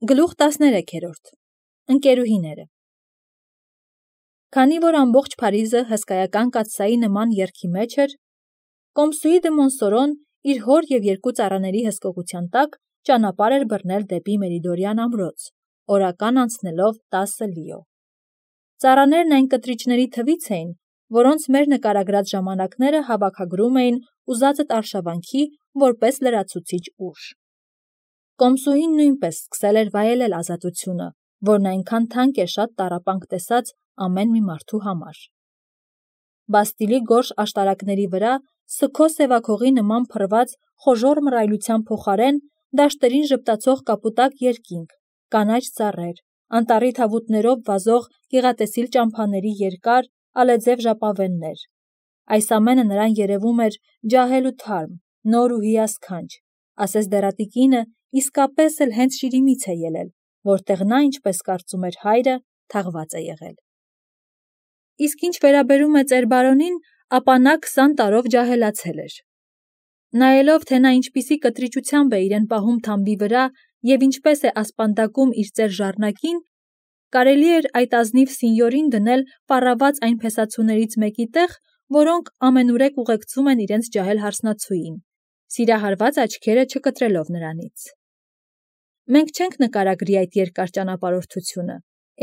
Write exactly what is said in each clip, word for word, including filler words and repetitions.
Գլուխ տասներեքերորդ Ընկերուհիները Քանի որ ամբողջ Փարիզը հսկայական կաթսայի նման երգի մեջ էր, Կոմսուի դը Մոնսորոն իր հոր և երկու ծառաների հսկողության տակ ճանապարհ էր բռնել դեպի Մերիդորյան ամրոց, օրական անցնելով տասը լիո։ Ծառաներն այն կտրիչների թվից էին, որոնց մեր նկարագրած ժամանակները հավաքագրում էին ուզածդ արշավանքի որպես լրացուցիչ ուժ։ Կոմսուհին նույնպես սկսել էր վայելել ազատությունը, որն այնքան թանկ է շատ տառապանք տեսած ամեն մի մարդու համար։ Բաստիլի գորշ աշտարակների վրա սգո սևաքողի նման փռված խոժոռ մռայլության փոխարեն դաշտերին ժպտացող կապուտակ երկինք, կանաչ ծառեր, անտառի թավուտներով վազող գեղատեսիլ ճամփաների երկար, ալեձև ժապավեններ։ Այս ամենը նրան երևում էր ջահել ու թարմ, նոր ու հիասքանչ, ասես դեռատի կինը իսկապես էլ հենց Շիրիմից է ելել, որտեղ նա, ինչպես կարծում էր հայրը, թաղված է եղել։ Իսկ ինչ վերաբերում է ծեր բարոնին, ապա նա քսան տարով ջահելացել էր։ Նայելով, թե նա ինչպիսի կտրիճությամբ է իրեն պահում թամբի վրա և ինչպես է ասպանդակում իր ծեր Ժառնակին, կարելի էր այդ ազնիվ սինյորին դնել պառաված այն փեսացուներից մեկի տեղ, որոնք ամենուրեք ուղեկցում են իրենց ջահել հարսնացուին, սիրահարված աչքերը չկտրելով նրանից։ Մենք չենք նկարագրի այդ երկար ճանապարհորդությունը,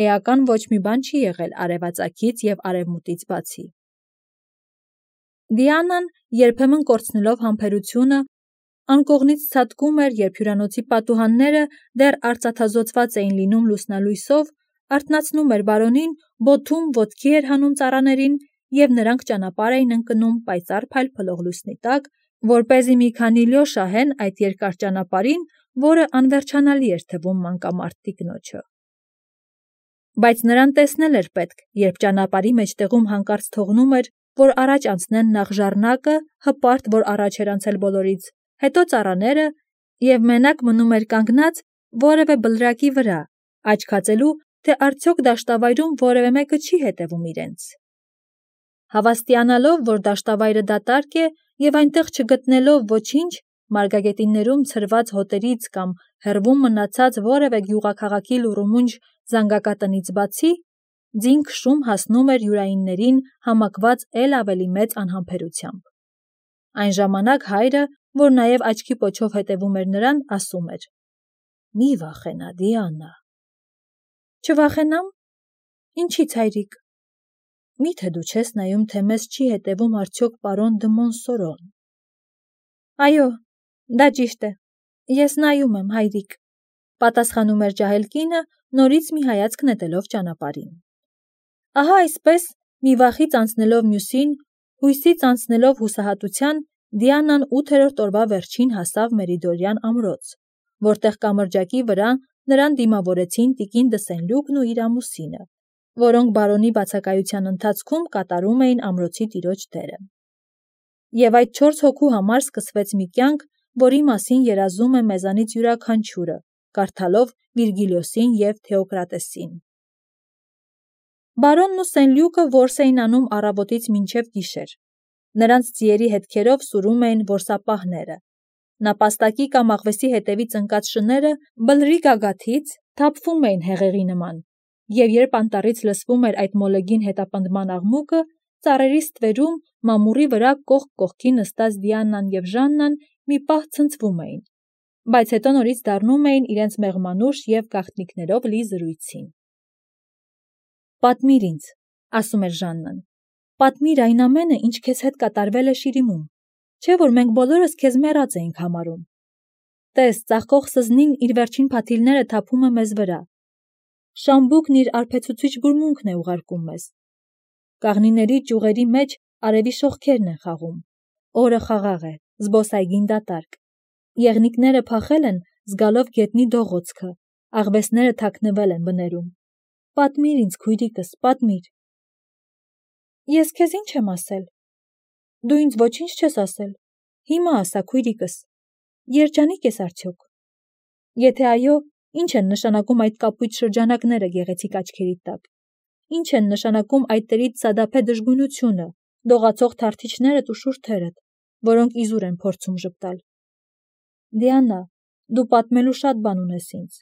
էական ոչ մի բան չի եղել արևածագից և արևմուտքից բացի։ Դիանան, երբեմն կորցնելով համբերությունը, անկողնից ցատկում էր, երբ հյուրանոցի պատուհանները դեռ արծաթազօծված էին լինում լուսնալույսով, արթնացնում էր բարոնին, բոթում ոտքի էր հանում ծառաներին, և նրանք ճանապարհ էին ընկնում պայծառ փայլփլող լուսնի տակ, որպեսզի մի քանի լյո շահեն այդ երկար ճանապարհին, որը անվերջանալի էր թվում մանկամարդ տիկնոջը։ Բայց նրան տեսնել էր պետք, երբ ճանապարհի մեջտեղում հանկարծ թողնում էր, որ առաջ անցնեն նախ Ժառնակը, հպարտ, որ առաջ էր անցել բոլորից, հետո ծառաները, և մենակ մնում էր կանգնած որևէ բլրակի վրա, աչք հածելու, թե արդյոք դաշտավայրում որևէ մեկը չի հետևում իրենց։ Հավաստիանալով, որ դաշտավայրը դատարկ է, և այնտեղ չգտնելով ոչինչ, մարգագետիններում ցրված հոտերից կամ հեռվում մնացած որևէ գյուղաքաղաքի լուռումունջ զանգակատնից բացի, ձին քշում հասնում էր յուրայիններին համակված էլ ավելի մեծ անհամբերությամբ։ Այն ժամանակ հայրը, որ նաև աչքի պոչով հետևում էր նրան, ասում էր. «Մի վախենա, Դիանա»։ Չվախենամ։ Ինչի՞ց, հայրիկ։ Մի՞թե դու չես նայում, թե մեզ չի հետևում արդյոք պարոն դը Մոնսորոն։ Այո, դա ճիշտ է, ես նայում եմ, հայրիկ, պատասխանում էր ջահել կինը, նորից մի հայացք նետելով ճանապարհին։ Ահա այսպես, մի վախից անցնելով մյուսին, հույսից անցնելով հուսահատության, Դիանան ութերորդ օրվա վերջին հասավ Մերիդորյան ամրոց, որտեղ կամրջակի վրա նրան դիմավորեցին տիկին դը Սենլյուկն ու իր ամուսինը, որոնք բարոնի բացակայության ընթացքում կատարում էին ամրոցի տիրոջ դերը։ Եվ այդ չորս հոգու համար սկսվեց մի կյանք, որի մասին երազում է մեզանից յուրաքանչյուրը, կարդալով Վիրգիլիոսին և Թեոկրատեսին։ Բարոնն ու Սենլյուկը որս էին անում առավոտից մինչև գիշեր։ Նրանց ձիերի հետքերով սուրում էին որսապահները։ Նապաստակի կամ աղվեսի հետևից ընկած շները բլրի գագաթից թափվում էին հեղեղի նման, և երբ անտառից լսվում էր այդ մոլեգին հետապնդման աղմուկը, ծառերի ստվերում, մամուռի վրա կողք կողքի նստած Դիանան և Ժաննան մի պահ ցնցվում էին, բայց հետո նորից դառնում էին իրենց մեղմանուշ և գաղտնիքներով լի զրույցին։ Պատմիր ինձ, ասում էր Ժաննան, պատմիր այն ամենը, ինչ քեզ հետ կատարվել է Շիրիմում, չէ՞ որ մենք բոլորս քեզ մեռած էինք համարում։ Տես, ծաղկող սզնին իր վերջին փաթիլները թափում է մեզ վրա։ Շամբուկն իր արբեցուցիչ բուրմունքն է ուղարկում մեզ։ Կաղնիների ճյուղերի մեջ արևի շողքերն են խաղում։ Օրը խաղաղ է, զբոսայգին դատարկ։ Եղնիկները փախել են, զգալով գետնի դողոցքը, աղվեսները թաքնվել են բներում։ Պատմիր ինձ, քույրիկս, պատմիր։ Ես քեզ ինչ եմ ասել։ Դու ինձ ոչինչ չես ասել։ Հիմա ասա, քույրիկս, երջանիկ ես արդյոք։ Եթե այո, ինչ են նշանակում այդ կապույտ շրջանակները գեղեցիկ աչքերիդ տակ։ Ինչ են նշանակում այդ տերից սադափե դժգույնությունը, դողացող թարթիչներդ ու շուրթերդ, որոնք իզուր են փորձում ժպտալ։ Դիանա, դու պատմելու շատ բան ունես ինձ։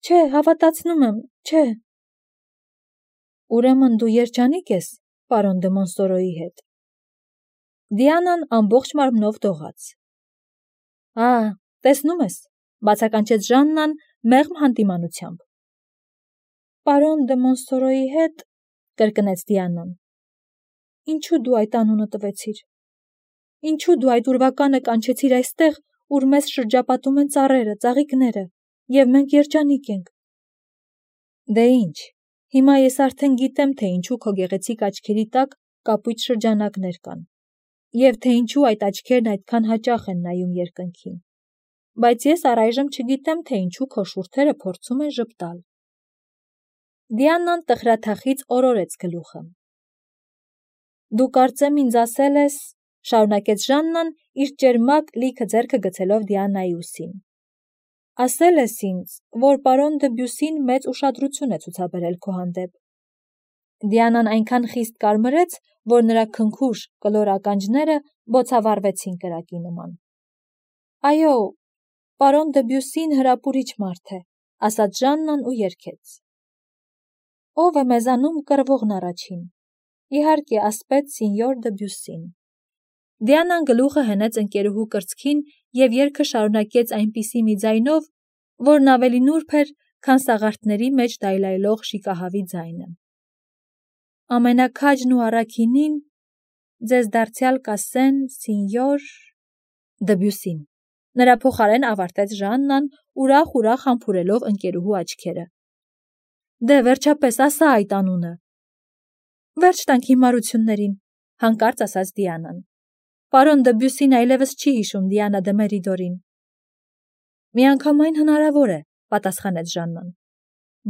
Չէ, հավատացնում եմ, չէ։ Ուրեմն դու երջանիկ ես, պարոն դե Մոնսորոյի հետ։ Դիանան ամբողջ մարմնով դողաց։ Ա, տեսնում ես, բացականչեց Ժաննան մեղմ հանդիմանությամբ։ Պարոն դե Մոնսորոյի հետ, կրկնեց Դիանան։ Ինչու դու այդ անունը տվեցիր։ Ինչու դու այդ ուրվականը կանչեցիր այստեղ, ուր մեզ շրջապատում են ծառերը, ծաղիկները, և մենք երջանիկ ենք։ Դե ինչ, հիմա ես արդեն գիտեմ, թե ինչու քո գեղեցիկ աչքերի տակ կապույտ շրջանակներ կան, և թե ինչու այդ աչքերն այդքան հաճախ են նայում երկնքին, բայց ես առայժմ չգիտեմ, թե ինչու քո շուրթերը փորձում են ժպտալ։ Դիանան տխրաթախից օրորեց գլուխը։ Դու կարծեմ ինձ ասել ես, շարունակեց Ժաննան, իր ճերմակ լիքը ձեռքը գցելով Դիանայի ուսին։ Ասել ես ինձ, որ պարոն դը Բյուսին մեծ ուշադրություն է ցուցաբերել քո հանդեպ։ Դիանան այնքան խիստ կարմրեց, որ նրա քնքուշ կլոր ականջները բոցավառվեցին կրակի նման։ Այո, պարոն դը Բյուսին հրապուրիչ մարդ է, ասաց Ժաննան ու երգեց։ Ով է մեզանում կռվողն առաջին։ Իհարկե, ասպետ սինյոր դը Բյուսին։ Դիանան գլուխը հենեց ընկերուհու կրծքին և երգը շարունակեց այնպիսի մի ձայնով, որն ավելի նուրբ էր, քան սաղարթների մեջ դայլայլող շիկահավի ձայնը։ Ամենաքաջն ու առաքինին ձեզ դարձյալ կասեն սինյոր դը Բյուսին։ Նրա փոխարեն ավարտեց Ժաննան, ուրախ-ուրախ համբուրելով ընկերուհու աչքերը։ Դե վերջապես ասա այդ անունը։ Վերջ տանք հիմարություններին, հանկարծ ասաց Դիանան։ Պարոն դը Բյուսին այլևս չի հիշում Դիանա դը Մերիդորին։ Միանգամայն հնարավոր է, պատասխանեց Ժաննան,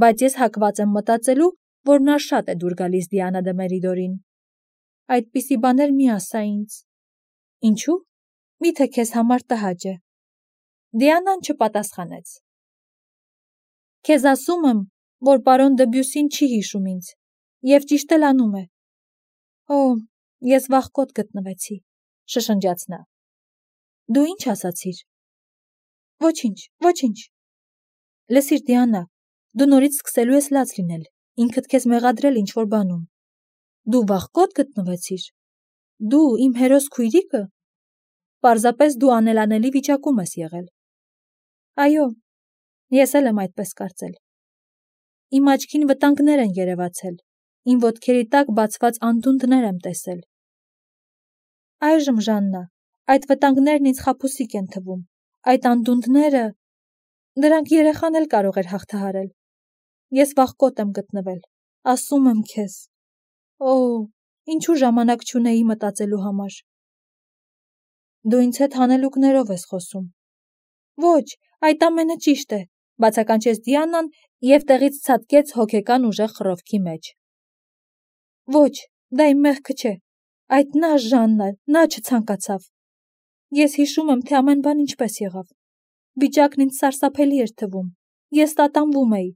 բայց ես հակված եմ մտածելու, որ նա շատ է դուր գալիս Դիանա դը Մերիդորին։ Այդպիսի բաներ մի ասա ինձ։ Ինչու՞։ Միթե քեզ համար տհաճ է։ Դիանան չպատասխանեց։ Քեզ ասում եմ, որ պարոն դը Բյուսին չի հիշում ինձ, և ճիշտ էլ անում է։ Օ, ես վախկոտ գտնվեցի, շշնջաց նա։ Դու ինչ ասացիր։ Ոչինչ, ոչինչ։ Լսիր Դիանա, դու նորից սկսելու ես լաց լինել, ինքդ քեզ մեղադրել ինչ-որ բանում։ Դու վախկոտ գտնվեցիր։ Դու իմ հերոս քույրիկը։ Պարզապես դու անելանելի վիճակում ես եղել։ Այո, ես էլ եմ այդպես կարծել։ Իմ աչքին վտանգներ են երևացել, իմ ոտքերի տակ բացված անդունդներ եմ տեսել։ Այժմ, Ժաննա, այդ վտանգներն ինձ խաբուսիկ են թվում, այդ անդունդները, դրանք երեխան էլ կարող էր հաղթահարել։ Ես վախկոտ եմ գտնվել, ասում եմ քեզ։ Օ, ինչու ժամանակ չունեի մտածելու համար։ Դու ինձ հետ հանելուկներով ես խոսում։ Ոչ, այդ ամենը ճիշտ է, բացականչեց Դիանան և տեղից ցատկեց հոգեկան ուժեղ խռովքի մեջ։ Ոչ, դա իմ մեղքը չէ, այդ նա Ժաննա, նա չցանկացավ։ Ես հիշում եմ, թե ամեն բան ինչպես եղավ։ Վիճակն ինձ սարսափելի էր թվում։ Ես տատանվում էի,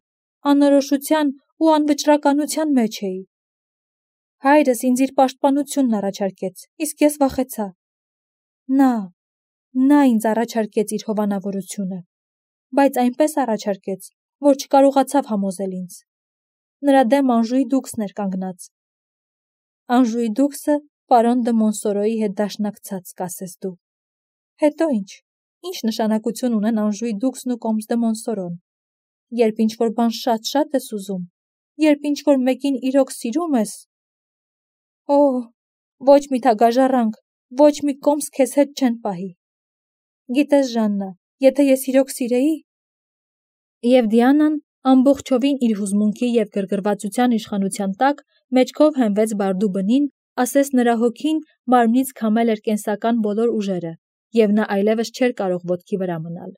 անորոշության ու անվճռականության մեջ էի։ Հայրս ինձ իր պաշտպանությունն առաջարկեց, իսկ ես վախեցա։ Նա, նա ինձ առաջարկեց իր հովանավորությունը, բայց այնպես առաջարկեց, որ չկարողացավ համոզել ինձ։ Նրա դեմ Անժուի դուքսն էր կանգնած։ Անժուի դուքսը պարոն դը Մոնսորոյի հետ դաշնակցած, կասես դու։ Հետո ինչ, ինչ նշանակություն ունեն Անժուի դուքսն ու Կոմս դը Մոնսորոն։ Երբ ինչ-որ բան շատ-շատ ես ուզում, երբ ինչ-որ մեկին իրոք սիրում ես։ Օ, ոչ մի թագաժառանգ, ոչ մի կոմս քեզ հետ չեն պահի։ Գիտես, Ժաննա, եթե ես իրոք սիրեի։ Եվ Դիանան ամբողջովին իր հուզմունքի և գրգռվածության իշխանության տակ մեջքով հենվեց բարդու բնին, ասես նրա հոգին մարմնից քամել էր կենսական բոլոր ուժերը, և նա այլևս չէր կարող ոտքի վրա մնալ։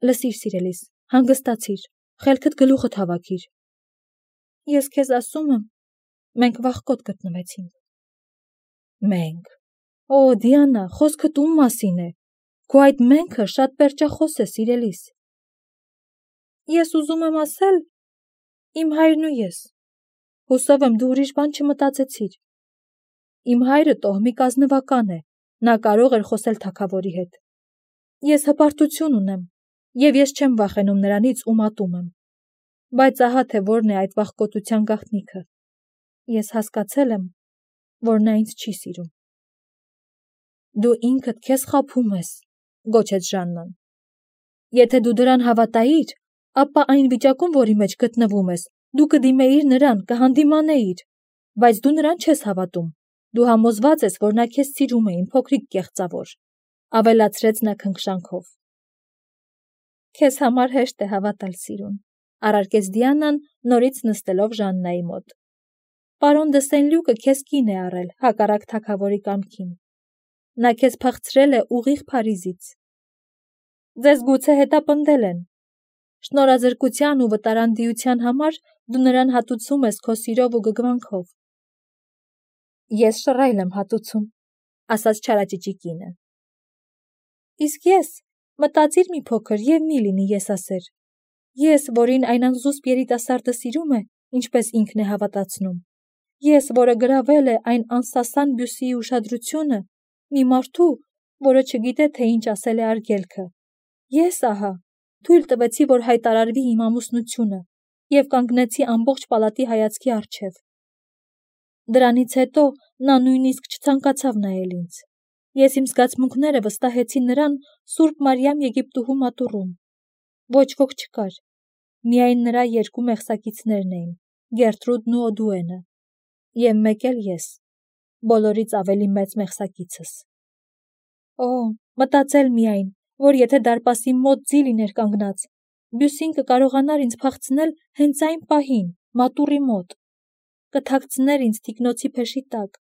Լսիր, սիրելիս, հանգստացիր, խելքդ գլուխդ հավաքիր։ Ես քեզ ասում եմ, մենք վախկոտ գտնվեցինք։ Մենք։ Օ, Դիանա, խոսքդ ում մասին է։ Քո այդ մենքը շատ պերճախոս է, սիրելիս։ Ես ուզում եմ ասել, իմ հայրն ու ես։ Հուսով եմ դու ուրիշ բան չմտածեցիր։ Իմ հայրը տոհմիկ ազնվական է, նա կարող էր խոսել թագավորի հետ։ Ես հպարտություն ունեմ, Եվ ես չեմ վախենում նրանից ու մատում եմ։ Բայց ահա թե որն է այդ վախկոտության գաղտնիքը։ Ես հասկացել եմ, որ նա ինձ չի սիրում։ Դու ինքդ քեզ խաբում ես, գոչեց Ժաննան։ Եթե դու դրան հավատայիր, ապա այն վիճակում, որի մեջ գտնվում ես, դու կդիմեիր նրան, կհանդիմանեիր, բայց դու նրան չես հավատում։ Դու համոզված ես, որ նա քեզ սիրում է, իմ փոքրիկ կեղծավոր, ավելացրեց նա քնքշանքով։ Քեզ համար հեշտ է հավատալ սիրուն, առարկեց Դիանան, նորից նստելով Ժաննայի մոտ։ Պարոն դը Սեն-Լյուկը քեզ կին է առել, հակառակ թագավորի կամքին։ Նա քեզ փախցրել է ուղիղ Փարիզից։ Ձեզ գուցե հետապնդել են։ Շնորհազրկության ու վտարանդիության համար դու նրան հատուցում ես քո սիրով ու գգվանքով։ Ես շռայլ եմ հատուցում, ասաց չարաճճի կինը։ Իսկ ես, մտածիր մի փոքր և մի լինի եսասեր։ Ես, որին այն անզուսպ երիտասարդը սիրում է, ինչպես ինքն է հավատացնում։ Ես, որը գրավել է այն անսասան Բյուսիի ուշադրությունը, մի մարդու, որը չգիտե, թե ինչ ասել է արգելքը։ Ես, ահա, թույլ տվեցի, որ հայտարարվի իմ ամուսնությունը և կանգնեցի ամբողջ պալատի հայացքի առջև։ Դրանից հետո նա նույնիսկ չցանկացավ նայել ինձ։ Ես իմ զգացմունքները վստահեցի նրան Սուրբ Մարիամ Եգիպտուհու մատուռում։ Ոչ ոք չկար։ Միայն նրա երկու մեղսակիցներն էին, Գերտրուդն ու Օդուենը, և մեկ էլ ես, բոլորից ավելի մեծ մեղսակիցս։ Օ, մտածել միայն, որ եթե դարպասի մոտ ձի լիներ կանգնած, Բյուսին կկարողանար ինձ փախցնել հենց այն պահին, մատուռի մոտ, կթաքցներ ինձ թիկնոցի փեշի տակ։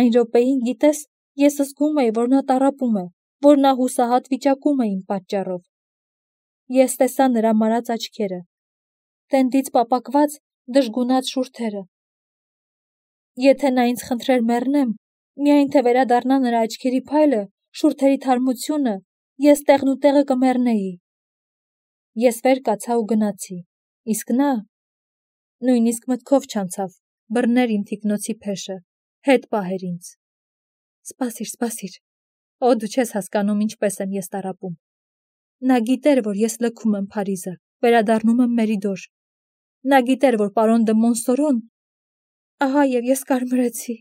Այն րոպեին, գիտես, ես զգում էի, որ նա տառապում է, որ նա հուսահատ վիճակում է իմ պատճառով։ Ես տեսա նրա մարած աչքերը, տենդից պապակված դժգունած շուրթերը։ Եթե նա ինձ խնդրեր մեռնեմ, միայն թե վերադառնա նրա աչքերի փայլը, շուրթերի թարմությունը, ես տեղն ու տեղը կմեռնեի։ Ես վեր կացա ու գնացի, իսկ նա նույնիսկ մտքով չանցավ բռներ իմ թիկնոցի փեշը, հետ պահեր ինձ։ Սպասիր, սպասիր, օ, դու չես հասկանում ինչպես եմ ես տառապում։ Նա գիտեր, որ ես լքում եմ Փարիզը, վերադառնում եմ Մերիդոր։ Նա գիտեր, որ պարոն դը Մոնսորոն, ահա և ես կարմրեցի,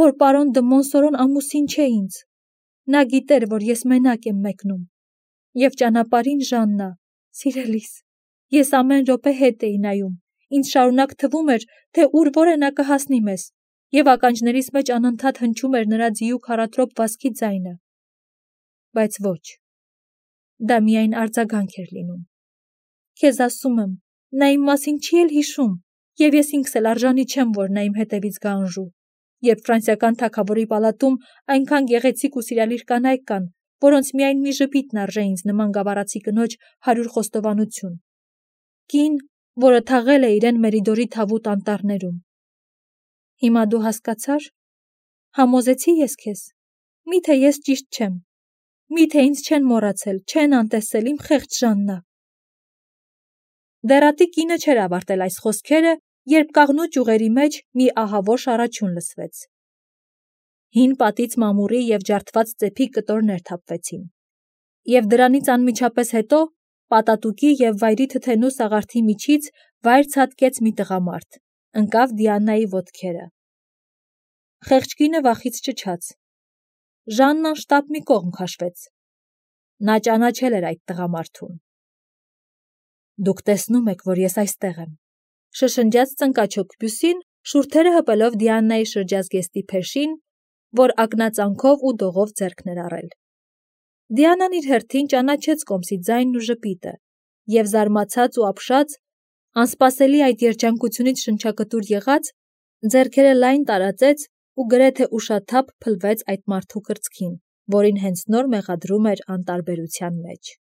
որ պարոն դը Մոնսորոն ամուսին չէ ինձ։ Նա գիտեր, որ ես մենակ եմ մեկնում։ Եվ ճանապարհին, Ժաննա, սիրելիս, ես ամեն րոպե հետ էի նայում, ինձ շարունակ թվում էր, թե ուր որ է նա կհասնի մեզ, և ականջներիս մեջ անընդհատ հնչում էր նրա ձիու քառաթրոփ վազքի ձայնը։ Բայց ոչ, դա միայն արձագանք էր լինում։ Քեզ ասում եմ, նա իմ մասին չի էլ հիշում, և ես ինքս էլ արժանի չեմ, որ նա իմ հետևից գա Անժու, երբ ֆրանսիական թագավորի պալատում այնքան գեղեցիկ ու սիրալիր կանայք կան, որոնց միայն մի ժպիտն արժե ինձ նման գավառացի կնոջ հարյուր խոստովանություն։ Կին, որը թաղել է իրեն Մերիդորի թավուտ անտառներում։ Հիմա դու հասկացա՞ր։ Համոզեցի ես քեզ։ Միթե ես ճիշտ չեմ։ Միթե ինձ չեն մոռացել, չեն անտեսել, իմ խեղճ Ժաննա։ Դեռատի կինը չէր ավարտել այս խոսքերը, երբ կաղնու ճյուղերի մեջ մի ահավոր շառաչյուն լսվեց։ Հին պատից մամուռի և ջարդված ծեփի կտորներ թափվեցին։ Եվ դրանից անմիջապես հետո պատատուկի և վայրի թթենու սաղարթի միջից վայր ցատկեց մի տղամարդ, ընկավ Դիանայի ոտքերը։ Խեղճ կինը վախից ճչաց։ Ժաննան շտապ մի կողմ քաշվեց։ Նա ճանաչել էր այդ տղամարդուն։ Դուք տեսնում եք, որ ես այստեղ եմ, շշնջաց ծնկաչոք Բյուսին, շուրթերը հպելով Դիանայի շրջազգեստի փեշին, որ ակնածանքով ու դողով ձեռքն էր առել։ Դիանան իր հերթին ճանաչեց կոմսի ձայնն ու ժպիտը, և զարմացած ու ապշած, անսպասելի այդ երջանկությունից շնչակտուր եղած, ձեռքերը լայն տարածեց ու գրեթե ուշաթափ փլվեց այդ մարդու կրծքին, որին հենց նոր մեղադրում էր անտարբերության մեջ։